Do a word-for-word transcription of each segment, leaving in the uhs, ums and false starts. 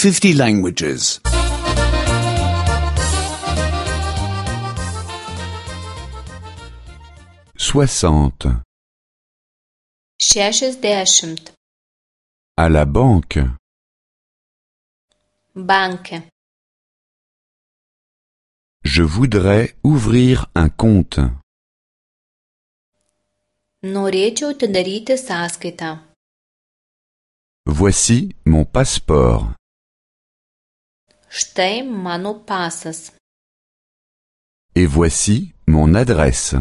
fifty languages. Soixante. Šešiasdešimt. À la banque. Banke. Je voudrais ouvrir un compte. Norėčiau atidaryti sąskaitą. Voici mon passeport. Štai mano pasas. Et voici mon adresse.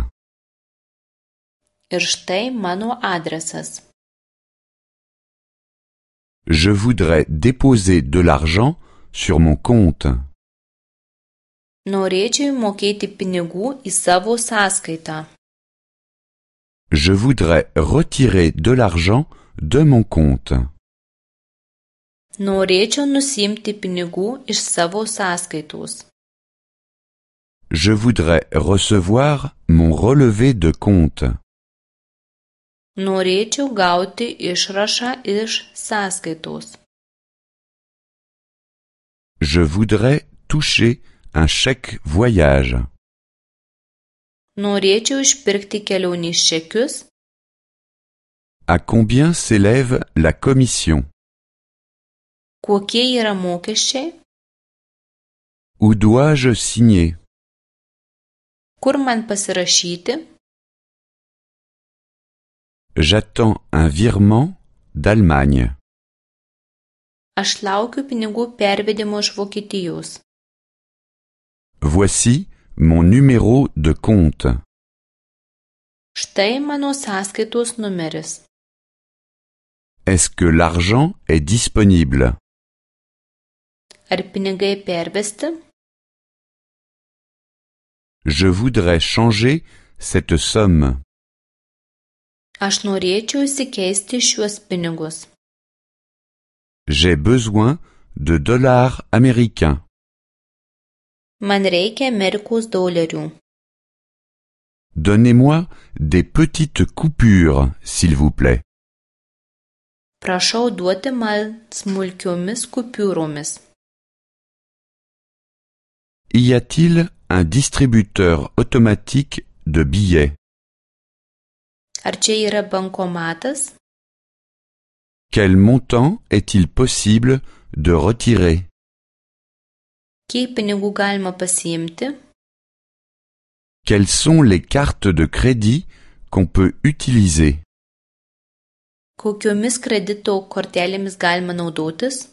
Ir štai mano adresas. Je voudrais déposer de l'argent sur mon compte. Norėčiau mokėti pinigų į savo sąskaitą. Je voudrais retirer de l'argent de mon compte. Norėčiau nusimti pinigų iš savo sąskaitos. Je voudrais recevoir mon relevé de compte. Norėčiau gauti išrašą iš sąskaitos. Je voudrais toucher un chèque voyage. Norėčiau išpirkti kelionės čekius. À combien s'élève la commission? Kokie yra mokesčiai? Où dois-je signer? Kur man pasirašyti? J'attends un virement d'Allemagne. Aš laukiu pinigų pervedimo iš Vokietijos. Voici mon numéro de compte. Štai mano sąskaitos numeris. Est-ce que l'argent est disponible? Ar pinigai pervesti? Je voudrais changer cette somme. Aš norėčiau įsikeisti šiuos pinigus. J'ai besoin de dollars américains. Man reikia Amerikos dolerių. Donnez-moi des petites coupures, s'il vous plaît. Prašau duoti man smulkiomis kupiūromis. Y a-t-il un distributeur automatique de billets? Ar čia yra bankomatas? Quel montant est-il possible de retirer? Kiek pinigų galima pasiimti? Quelles sont les cartes de crédit qu'on peut utiliser? Kokiomis kredito kortelėmis galima naudotis?